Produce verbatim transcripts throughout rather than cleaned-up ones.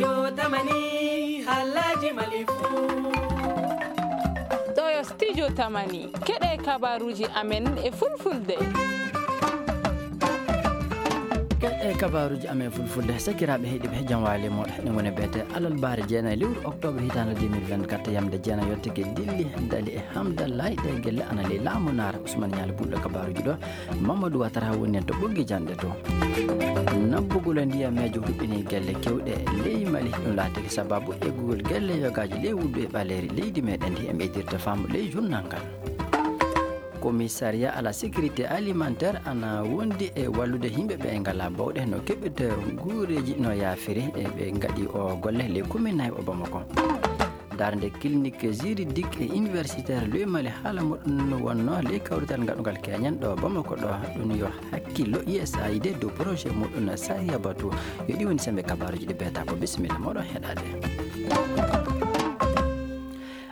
Yo tamani halaji malifu. Ɗo yo studio tamani. Keɗe kabaruji amen e fulfulde. Keɗe kabaruji amen fulfulde. Sakiraaɓe heɗiɓe, jam waali moɗo. Ene woni beete alarba jeenayi lewru octobre hitaande deux mille vingt-quatre, yamde jeenayi yottike dilli dali e hamdallahi. Ɗe gelle ana ley laamu naara. Ousmane Ñaali bulɗo kabaruji ɗo. Mamadou Ouattara woni en to ɓoggi janɗe to. Nabbugol ndiyameejo huɓɓini gelle kewɗe ley Mali. Ɗum laatiki sababu eggugol gelle yogaaji ley wuddu e ɓaleeri leydi meɗen ndi. E ɓeydirta faamu ley journal ngal. Commissariat à la sécurité alimentaire ana wondi e wallude yimɓe ɓe ngala bawɗe no keɓirta nguureeji no yaafiri. E ɓe ngaɗi o golle ley commune nayi o Bamako. Darnde clinique juridique et universitaire ley Mali, haala muɗum wonno ley kawrital ngaɗungal keñen ɗo Bamako ɗo. Ɗum yo hakkillo U S A I D dow projet muɗum Sariya Batu. Yo ɗi woni sembe kabaruji ɗi beeta ko. Bisimilla moɗon heɗade.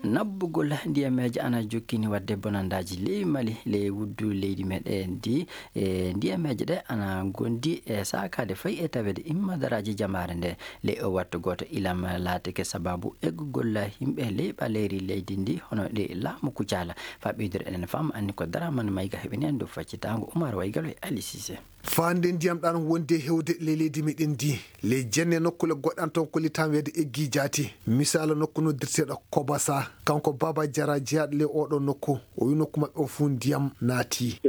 Nabbugol ndiyameeje ana jokkini wadde bonandaji ley Mali, ley wuddu leydi meɗen ndi. E ndiyameeje ɗe ana gondi e saakaade fayi e taweede immadaraji jamaare nde. Ley o wattu gooto ilam laatike sababu eggugol yimɓe ley ɓaleeri leydi ndi, hono ɗi laamu Kucala. Faa ɓeydude enen faamu anni ko Daraman Mayga heɓini en dow faccitaango Umar Waygal e Ali Sise. Faande ndiyam ɗan wonde hewde ley leydi meɗen ndi, ley jenne nokkule goɗɗan toon ko litan weede eggi jaati. Misaala nokku noddirteeɗo Kobasa, kanko Baba Jara jeyaaɗo ley oɗo nokku, o wi nokku maɓɓe o fuu ndiyam naati.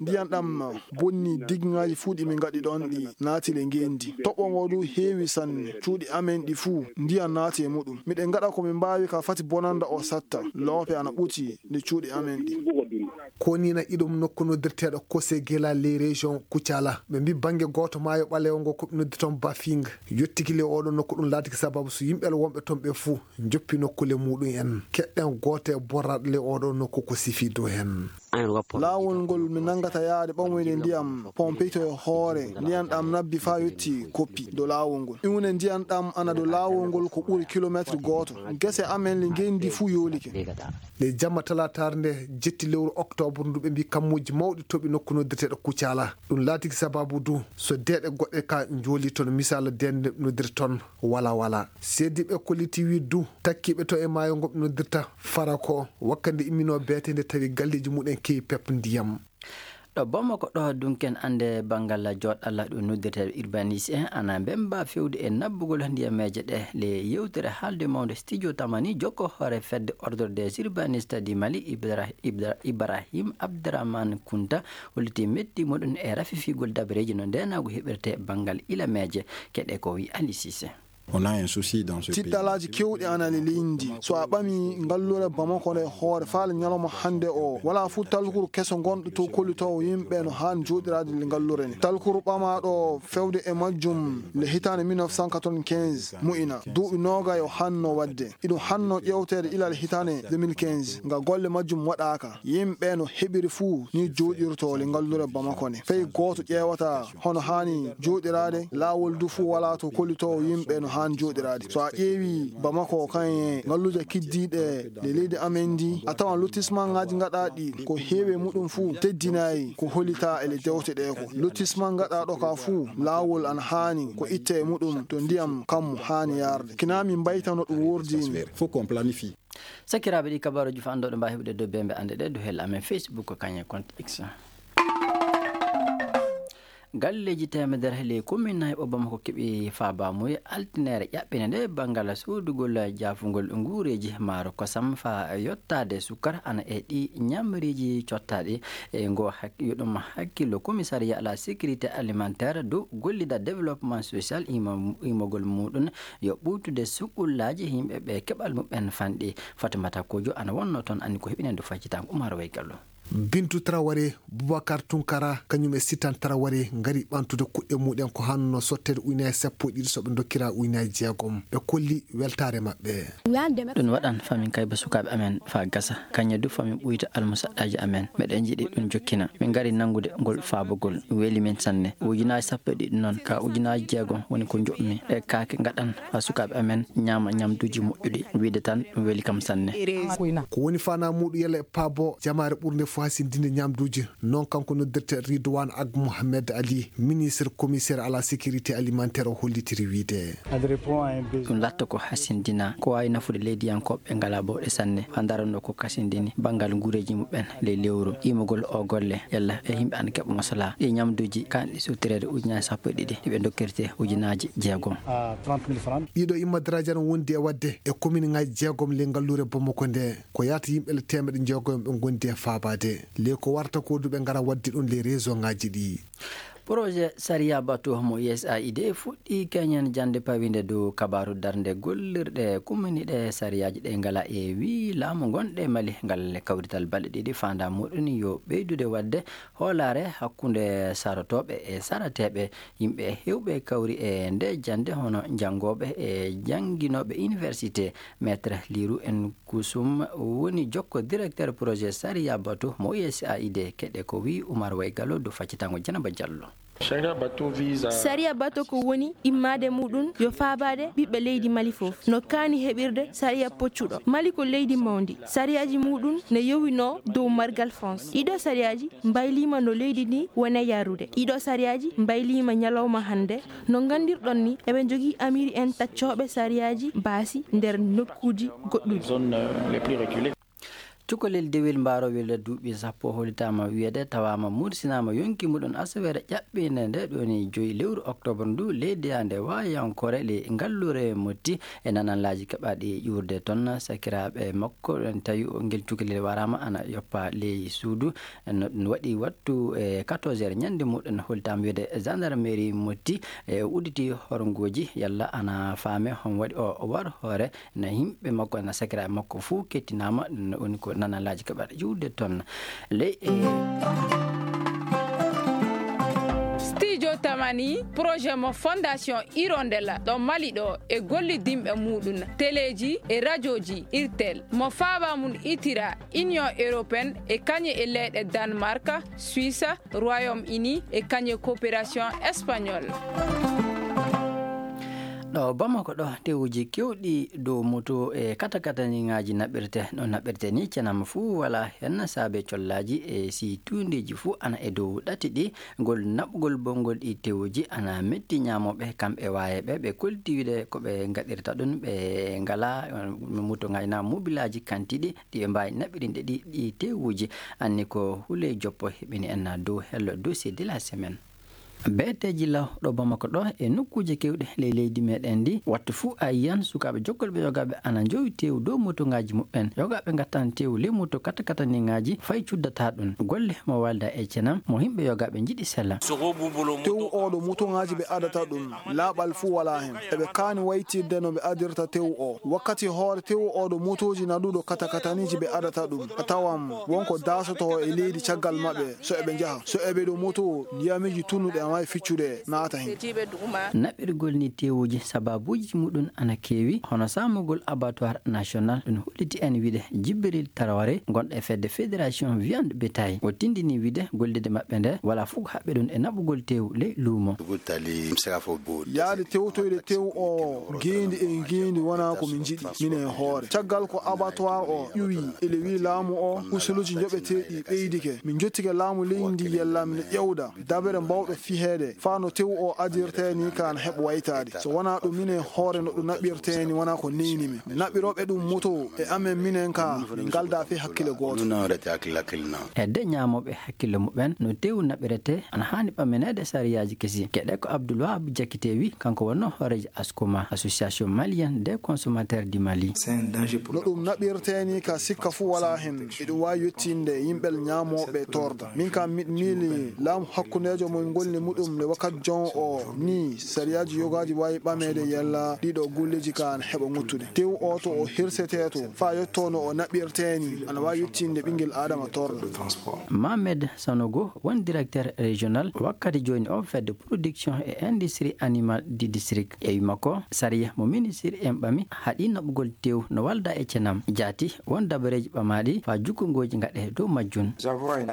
Ndiyam ɗam bonni digŋaaji fuu ɗi min ngaɗi ɗon ɗi naati le ngeendi. Toɓo ngo du heewi sanne. Cuuɗi amen ɗi fuu ndiyam naati e muɗum. Miɗen ngaɗa ko min mbaawi ka fati bonanda o satta. Loope ana ɓuti nde cuuɗi amen ɗi. Ko nii na iɗum nokku noddirteeɗo Kosegela ley région Kucala. Ɓe mbi bannge gooto maayo ɓaleewo ngo ko ɓe noddi toon Bafing. Yottiki le oɗo nokku ɗum laatiki sababu so yimɓe wonɓe toon ɓe fuu njoppi nokkule muɗum en. Keɗɗen gooto e borraaɗo le oɗo nokku ko sifi dow heen. Laawol ngol mi nanngata yaade ɓamoyde ndiyam pompito e hoore, ndiyam ɗam nabbi faa yotti koppi dow laawol ngol. Iwne ndiyam ɗam ana dow laawol ngol ko ɓuri kilomeetir gooto. Gese amen le ngenndi fuu yoolike. Le jamma talaataare nde jetti lewru oktoobre ndu ɓe mbi kammuuji mawɗi toɓi nokku noddirteeɗo Kucala. Ɗum laatiki sababu du so deeɗe goɗɗe ka njooli toon, misaala deeɗe nde noddirta toon wala wala. Seediiɓe kolliti wi du takkiiɓe to e maayo ngo ɓe noddirta Farako wakkande imminoo beete nde tawi galleeji muɗen keewi pep ndiyam. Ɗo Bamako ɗo dunken annde banngal joɗɗalla ɗum noddirteeɗo urbaniste en ana mbemba fewde e nabbugol ndiyameeje ɗe. Le yewtere haalde mawnde studio tamani jokko hoore fedde ordre des urbanistes du Mali, Ibra-, Ibra-, Ibrahim Abdrahmane Kunta, holliti metti muɗum e rafifigol dabareeji no ndeenaagu heɓirte banngal ilameeje. Keɗe ko wi Ali Sise. On a un souci dans ce pays. Tiɗɗalaaji kewɗi ana le leydi. So a ɓami ngallure Bamako nde hoore faale ñalawma hannde o, wala fuu talkuru keso ngonɗo to kollitoowo yimɓe no haan jooɗiraade le ngallure nde. Talkuru ɓamaaɗo fewde e majjum le hitaande mille neuf cent quatre-vingt-quinze mo'ina. Duuɓi noogay o hanno waɗde. Iɗum hanno ƴeewteede ilal hitaande deux mille quinze, nga golle majjum waɗaaka. Yimɓe no heɓiri fuu ni jooɗirtoo le ngallure Bamako nde. Fey gooto ƴeewataa hono haani jooɗiraade, laawol du fuu walaa to kollitoowo yimɓe no haan jooɗiraade. So a ƴeewi Bamako kan e ngalluuje kiddiiɗe le leydi amen ndi, a tawan lotissement ŋaaji ngaɗaaɗi ko heewi e muɗum fuu teddinaay ko hollitaa e le dewte ɗe ko. Lotissement ngaɗaaɗo ka fuu, laawol ana haani ko itte e muɗum to ndiyam kammu haani yaarde. Kinaa min mbaytano ɗum wurdiini. Faut qu'on planifie. Sakiraaɓe, ɗi kabaruuji fof annduɗo mbaawi heɓude dow bembe annde ɗe dow hel amen Facebook ko kañe compte X. Galleeji teemedere ley commune nayi o Bamako keɓi faabamuye altineere ƴaɓɓine nde banngal soodugol jaafungol nguureeji maaro kosam faa yottaade sukkara ana e ɗi ñamriiji cottaaɗi. E ngo hak-, yo ɗum hakkillo commissariat à la sécurité alimentaire dow gollida développement social imo-, imogol muɗum yo ɓuutude suɓɓullaaji yimɓe ɓe keɓal muɓɓen fanɗi. Fatimata Kojo ana wonno toon, anndi ko heɓinande faccitaango Umar Waygallo. Bintu Traoré, Boubacar Tunkara, kañum e Sitan Traoré ngari ɓantude kuɗɗe muɗen ko hanno sotteede ujunaaji sappo e ɗiɗi so ɓe ndokkira ujunaaji jeegom. Ɓe kolli weltaare maɓɓe. Ɗum waɗan famin kayba sukaaɓe amen faa gasa. Kañe du famin ɓuyta almusaɗɗaaji amen. Meɗen njiɗi ɗum jokkina. Min ngari nanngude ngol faabagol. Ɗum weli min sanne. Ujunaaji sappo e ɗiɗi noon, ka ujunaaji jeegom woni ko njoɓmi. Ɗe kaake ngaɗan faa sukaaɓe amen ñaama ñamduuji moƴƴuɗi. Wiide tan ɗum weli kam sanne. Ko woni faanaa muuɗum yalla e paabo jamaare ɓurnde fof. Hasindinde ñamduuji, noon kanko noddirte Ridwan Ag Mohamed Ali, ministre commissaire à la sécurité alimentaire, o hollitiri wiyde. Ɗum latta ko hasindina, ko waawi nafude leydiyankooɓe ngalaa bawɗe sanne, haa ndarannoo ko kasindini banngal nguureeji muɓɓen ley lewru. Iimugol o golle, yalla e yimɓe ana keɓa masalaa. Ɗi ñamduuji kaanɗi suttireede ujunaaji sappo e ɗiɗi, ɗi ɓe ndokkirte ujunaaji jeegom. Ɗiɗo imma daraaji ana wondi e waɗde e kominŋaaji jeegom ley ngalluure Bamako nde. Ko yahata yimɓe le teemeɗɗe jeegom ɓe ngondi e faabaade. Ley ko warata ko du ɓe ngara waɗde ɗum ley région ŋaaji ɗi. Projet Sariya Bato mo U S A I D fuɗɗii keñen jannde pawinde dow kabaaru darnde gollirɗe kumminiiɗe sariyaaji ɗe ngala e wii laamu ngonɗe Mali ngal kawrital balɗe ɗiɗi faandaa muɗum yo ɓeydude waɗde hoolaare hakkunde sarotooɓe e sarateeɓe. Yimɓe heewɓe kawri e nde jannde hono janngooɓe e jannginooɓe université. Maître Liru en Kusum woni jokko directeur projet Sariya Bato mo U S A I D. Keɗe ko wii Umar Waygalo do faccitango Janaba Jallo. Sariya Bato ko woni immaade muɗum yo faabaade ɓiɓɓe leydi Mali fof. No kaani heɓirde sariya poccuɗo. Mali ko leydi mawndi. Sariyaaji muɗum ne yowinoo dow margal France. Ɗiɗo sariyaaji mbayliima no leydi ndi woni yarude. Ɗiɗo sariyaaji mbayliima ñalawma hannde. No nganndirɗon ni, eɓe njogii amiiri en taccooɓe sariyaaji baasi nder nokkuuji goɗɗuɗi. Cukalel dewel mbaarowel duuɓi sappo hollitaama wiyeede tawaama mursinaama yonki muɗum asaweere ƴaɓɓiinde nde ɗoni joyi lewru oktoobar ndu leydi nde waayankoore ley ngalluure Motti. E nananlaaji keɓaaɗi ƴuurde toon, sakiraaɓe makko ɗon tawi o ngel cukalel waraama ana yoppa ley suudu. No ɗum waɗi wattu e quatorze heures ñande muɗum hollitaama wiyeede gendarmerie Motti e udditi horngooji yalla ana faame hon waɗi o war hoore. Na yimɓe makko, na sakiraaɓe makko fuu kettinaama, no woni ko nanalaaji keɓaɗo ƴuwde toon. Ley e Studio Tamani, projet mo Fondation Hirondella ɗo Mali ɗo e gollidinɓe muɗum, teleeji e rajooji Irtel, mo faaba mum itira Union Européenne e kañe e leyɗe Danemark, Suisse, Royaume-Uni e kañe coopération espagnole. Ɗo Bamako ɗo, tewuji kewɗi dow moto e katakataniŋaaji naɓirte. No naɓirte ni, cenam fuu wala hen saabe collaaji e si tuundeeji fuu ana e dow ɗati ɗi. Ngol naɓugol bonngol ɗi tewuji ana metti ñaamooɓe, kamɓe waayeɓe, ɓe kolti wiide ko ɓe ngaɗirta ɗum, ɓe ngalaa, eh, motoŋaaji naa mobilaaji kantiiɗi ɗi ɓe mbaawi naɓirinde ɗi, ɗi tewuji. Anni ko Huley Joppo heɓini en dow hello dossier de la semaine. Beeteeji law ɗo Bamako ɗo e nokkuuje kewɗe ley leydi meɗen ndi, wattu fuu a yiyan sukaaɓe jokkolɓe yogaaɓe ana njowi teewu dow motoŋaaji muɓɓen. Yogaaɓe ngattan teewu ley moto katakataniŋaaji fay cuddataa ɗum. Golle mo walda e cenam mo yimɓe yogaaɓe njiɗi sella. Teewu oo ɗo motoŋaaji ɓe adata ɗum, laaɓal fuu walaa hen. Eɓe kaani waytirde no ɓe adirta teewu oo. Wakkati hoore teewu oo ɗo motooji naɗuɗo katakataniiji ɓe adata ɗum. A tawan won ko daasotoo e leydi caggal maɓɓe so eɓe njaha. So eɓe ɗo moto, ndiyamiji tunnuɗi ana waawi ficcude naata hen. Naɓirgol ni teewuji sababuuji muɗum ana keewi, hono saamugol abattoir national, ɗum holliti en wiide Jibril Traoré, gonɗo e fedde Fédération Viande Bétail. O tindini wiide gollirde maɓɓe nde wala fof ko haɓɓi ɗum e naɓugol teewu ley luumo. Yaade tewtoyde teewu o ngeendi e ngeendi wonaa ko min njiɗi minen e hoore. Caggal ko abattoir o ƴuwi, ele wii laamu o, usuluuji njoɓeteeɗi ɓeydike. Min njottike laamu leydi ndi yalla min ƴewda dabere mbawɗo fiheede faa no teewu o adirtee ni ka ana heɓa waytaade. So wonaa ɗum minen e hoore no ɗum naɓirtee ni wonaa ko neyni min. Naɓirooɓe ɗum moto e amen minen ka min ngaldaa fii hakkille gooto. Hedde ñaamooɓe hakkille muɓɓen no teewu naɓiretee ana haani ɓammineede sariyaaji kesi. Keɗe ko Abdoul Wahab Diakité wi, kanko wonnoo hooreejo Askoma, Association Malienne des Consommateurs du Mali. No ɗum naɓirtee ni ka sikka fuu walaa hen, eɗum waawi yettinde yimɓe ñaamooɓe torda. Min kam miɗo miili laamu hakkundeejo mo ngolli muɗum nde wakkati jon o ni sariyaaji yogaaji waawi ɓameede yalla ɗiɗo golleeji ka ana heɓa ŋuttude. Teewu o to o hirsetee to faa yottoo no o naɓirtee ni ana waawi yettinde ɓinngel aadama torda. Mohamed Sanogo won directeur régional wakkati jooni o fedde production et industrie animale du district. E wi makko, sariya mo ministre en ɓami haɗi naɓugol teewu no walda e cenam. Jaati won dabareeji ɓamaaɗi faa jukkungooji ngaɗee dow majjum.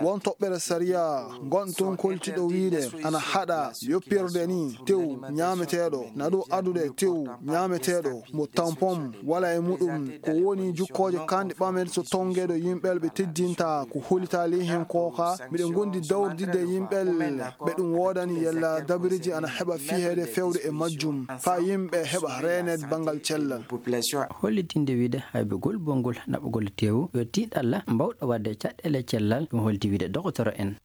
Won toɓɓere sariya ngon toon koltiɗo wiide ana haɗa yoppirde ni tew ñaameteeɗo, na ɗo adude tew ñaameteeɗo mo tampon wala e muɗum, ko woni jukkooje kanɗe ɓamen so tongeeɗo yimɓel ɓe teddinta ko holitaali hen kooka. Miɗen gondi dawrdide yimɓel ɓe ɗum woodani yalla dabiriji ana heɓa fiheede fewde e majjum, faa yimɓe heɓa reeneede banngal cellal. Hollitinde wiide hay ɓe gol bongol naɓugol teewu yo tiiɗalla mbawɗo waɗde caɗɗeele cellal, ɗum holti wiide dogotoro en.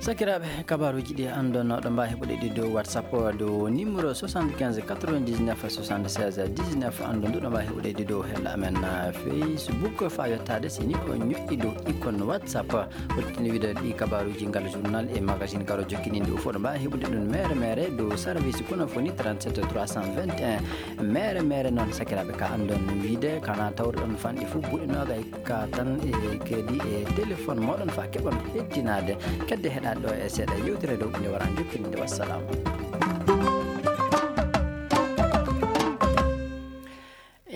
Sakiraaɓe, kabaaruuji ɗi anndon ɗo mbaawi heɓude ɗi dow WhatsApp, dow numéro soixante-quinze quatre-vingt-dix-neuf soixante-seize dix-neuf. Anndon ɗo mbaawi heɓude ɗi dow hella amen, ah, Facebook, faa yottaade si ni o ñoƴƴi dow icône WhatsApp. Hollitinde wiide ɗi kabaaruuji, ngal journal e magazine karo jokkininde o fof ɗo mbaawi heɓude ɗum mere mere dow service Konofoni trente-sept trois cent vingt et un. Mere mere noon, sakiraaɓe, ka anndon wiide kana tawruɗon fanɗi fof buɗe noogay ka tan e kadi e téléphone mooɗon faa keɓon hettinaade. Kedde heɗaade ɗo e seeɗa yewtere dow nde wara jokkininde. Wassalam.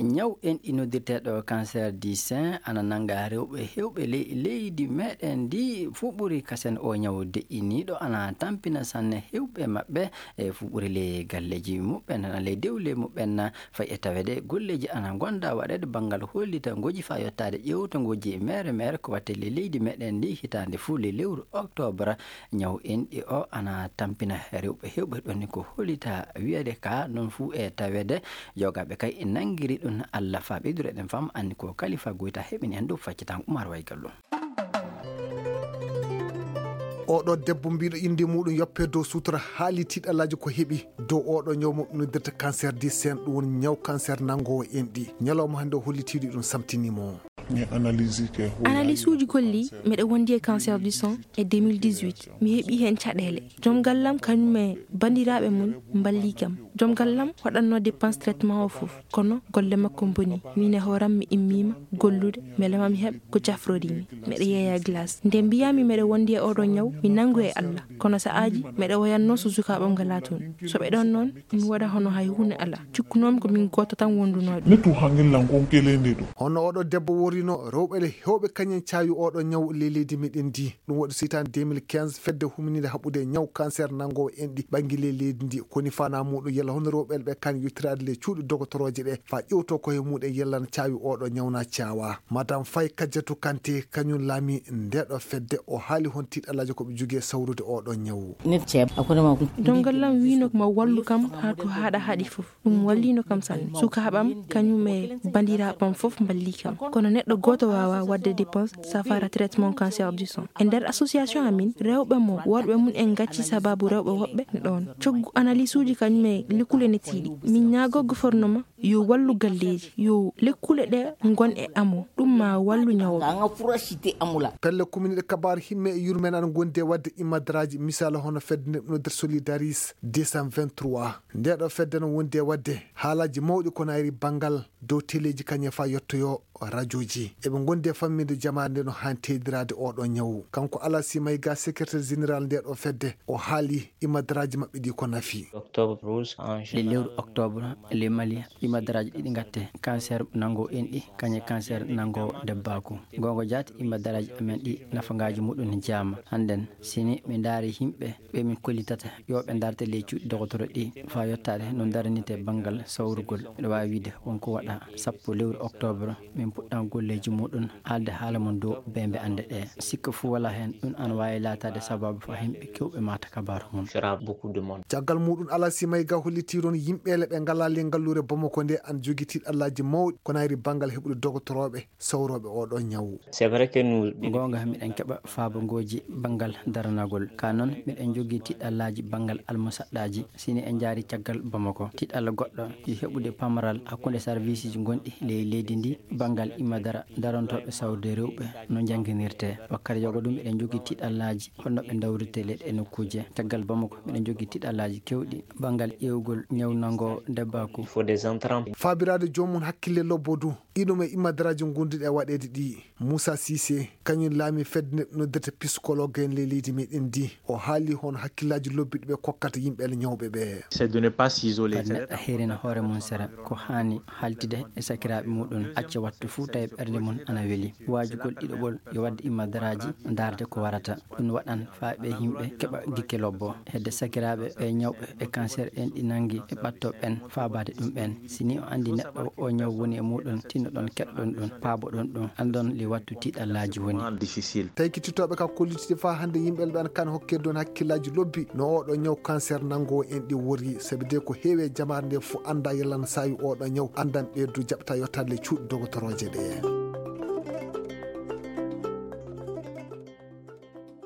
Ñaw enɗi noddirteeɗo cancer du sein ana nannga rewɓe heewɓe ley leydi meɗen ndi. Fuɓɓuri kasen o ñaw deƴƴiniiɗo ana tampina sanne heewɓe maɓɓe e fuɓɓuri ley galleeji muɓɓen, ana ley dewle muɓɓen. Fay e taweede golleeji ana ngonda waɗeede banngal hollita ngoji faa yottaade ƴeewto ngoji mere mere ko watte ley leydi meɗen ndi hitaande fuu ley lewru octobre. Ñaw enɗi o ana tampina rewɓe heewɓe ɗon ni ko hollita wiyeede ka noon fuu e taweede. Jogaaɓe kay e nanngiri ɗum Allah faa ɓeydureɗen fam anni ko kalifa goyta heɓini en dow faccitango Umar Waygallo. Oɗo debbo mbiɗo innde muɗum yoppe dow sutura haali tiiɗalaaji ko heɓi dow oɗo ñaw mo noddirta cancer du sein, ɗum woni ñaw cancer nanngowo enɗi. Ñalawma hannde o hollitiiɗo ɗum samtinimo. Analyse uji kolli miɗo wondi e cancer du sein e deux mille dix-huit. Mi heɓi heen caɗeele. Joom gallam kañum e banndiraaɓe mum mballii kam. Joom gallam waɗatnoo dépense traitement o fof, kono golle makko mboni. Miin e hooram mi immiima gollude mbele ma mi heɓ ko cafrorii mi. Miɗo yeeya glace. Nde mbiyaa mi miɗo wondi e oɗo ñaw, mi nanngu e Allah. Kono sa'aaji miɗo woyatnoo so sukaaɓam ngalaa toon. So ɓe ɗon noon, mi waɗa hono hay huunde alaa. Cikkunoo-mi ko min gooto tan wondunoo ɗum. Hono oɗo debbo worrino rewɓe le heewɓe kañum caawi oɗo ñaw ley leydi meɗen ndi. Ɗum waɗi so hitaande deux mille quinze fedde huminiinde haɓude ñaw cancer nanngowo enɗi ɓanngi ley leydi ndi. Koni fana muɗum yalla hono rewɓe ɓe kan yottiraade ley cuuɗi dogotorooje ɗe faa ƴewto ko he muɗum yalla na caawi oɗo ñaw na caawa. Madame Faye Kadiatou Kanté kañum laami ndeɗo fedde, o haali hon tiiɗalaaji ko ɓe jogii e sawrude oɗo ñaw. Joom gallam wiino ma wallu kam haa to haaɗa haaɗi fof. Ɗum walliino kam sanne. Sukaaɓam kañum e banndiraaɓam fof mballii kam. Kono neɗɗo gooto waawaa waɗde dépense safara traitement cancer du sein. E nder association amin, rewɓe mo worɓe mum en ngacci sabaabu rewɓe woɓɓe ne ɗoon. Coggu analyse uji kañum e lekkule ne tiiɗi. Min ñaagoo gouvernement yo wallu galleeji, yo lekkule ɗe ngon e amo. Ɗum ma wallu ñawɓe. Pelle kuminiiɗe kabaaru himme e yurmeende ana ngondi e waɗde imadaraaji, misaala hono fedde nde noddirta Solidaris deux cent vingt-trois. Ndeɗo fedde no wondi e waɗde haalaaji mawɗi ko nayri banngal dow teleeji kañum e faa yettoyoo rajooji. Eɓe ngondi e fammiinde jamaare nde no haani teeydiraade oɗo ñaw. Kanko Alassi Mayga, secrétaire général ndeɗo fedde, o haali imadaraaji maɓɓe ɗi ko nafi. Ley lewru octobre, ley Mali, imadaraaji ɗiɗi ngatte, cancer nanngo enɗi, kañum e cancer nanngo debbaaku. Goonga jaati, imadaraaji amen ɗi nafagaaji muɗum ne jaama. Hannden, si ni mi ndaari yimɓe ɓe min kollitata yo ɓe ndarte ley cuuɗi dogotoro ɗi faa yottaade no ndaranirtee banngal sawrugol, miɗo waawi wiide won ko waɗa sappo lewru octobre, min puɗɗan golleeji muɗum haalde haala mum dow beembe annde ɗe. Sikka fuu walaa heen, ɗum ana waawi laataade sabaabu faa yimɓe keewɓe maata kabaaru mum. Caggal muɗum, Alassi Mayga hollitii toon yimɓeele ɓe ngalaa ley ngalluure Bamako nde ana jogii tiiɗallaaji mawɗi ko nayri banngal heɓude dogotorooɓe sawrooɓe oɗo ñaw. Goonga, miɗen keɓa faabangooji banngal daranagol. Ka noon, miɗen njogii tiiɗallaaji banngal almusaɗɗaaji. Si ni en njaari caggal Bamako, tiiɗalla goɗɗo yo heɓude pamaral hakkunde sarviisiji gonɗi ley leydi ndi banngal imadara darantooɓe sawrude rewɓe no njannginirtee. Wakkati yoga ɗum, miɗen njogii tiiɗallaaji holno ɓe ndawrirtee ley ɗee nokkuuje. Caggal Bamako, miɗen njogii tiiɗallaaji keewɗi banngal ƴeewgol ñaw nanngo debbaaku. Faabiraade joomum hakkille lobbo du. Ino mo e immadaraaji ngonduɗi e waɗeede ɗi, Moussa Cissé, kañum laami fedde nde noddirta psychologue en ley leydi meɗen ndi. O haali hono hakkillaaji lobbi ɗi ɓe kokkata yimɓe e ñawɓe ɓe. C'est de ne pas s'isoler. Kadi neɗɗo heerina hoore mum sera, ko haani haltide e sakiraaɓe muɗum, acca wattu fuu tawi ɓernde mum ana weli. Waajugol ɗiɗoɓol yo waɗde immadaraaji, ndaarde ko warata. Ɗum waɗan faa ɓe yimɓe keɓa gikke lobbo. Hedde sakiraaɓe ɓe ñawɓe e cancer en ɗi nangi e ɓatto ɓen faabaade ɗum ɓen. Si ni o anndi neɗɗo o ñaw woni e muɗum, tinnoɗon keɗoɗon ɗum, paaboɗon ɗum, anndon li wattu tiiɗallaaji woni. Difficile. Tawi kittitooɓe ka kollitide faa hannde yimɓe ɓe kan hokkirde on hakkillaaji lobbi no oɗo ñaw cancer nanngo en ɗi wori, sabi de ko heewi e jamaare nde fof annda yalana saawi oɗo ñaw, anndan ɓeydu jaɓta yottaade le cuuɗi dogotorooje ɗe.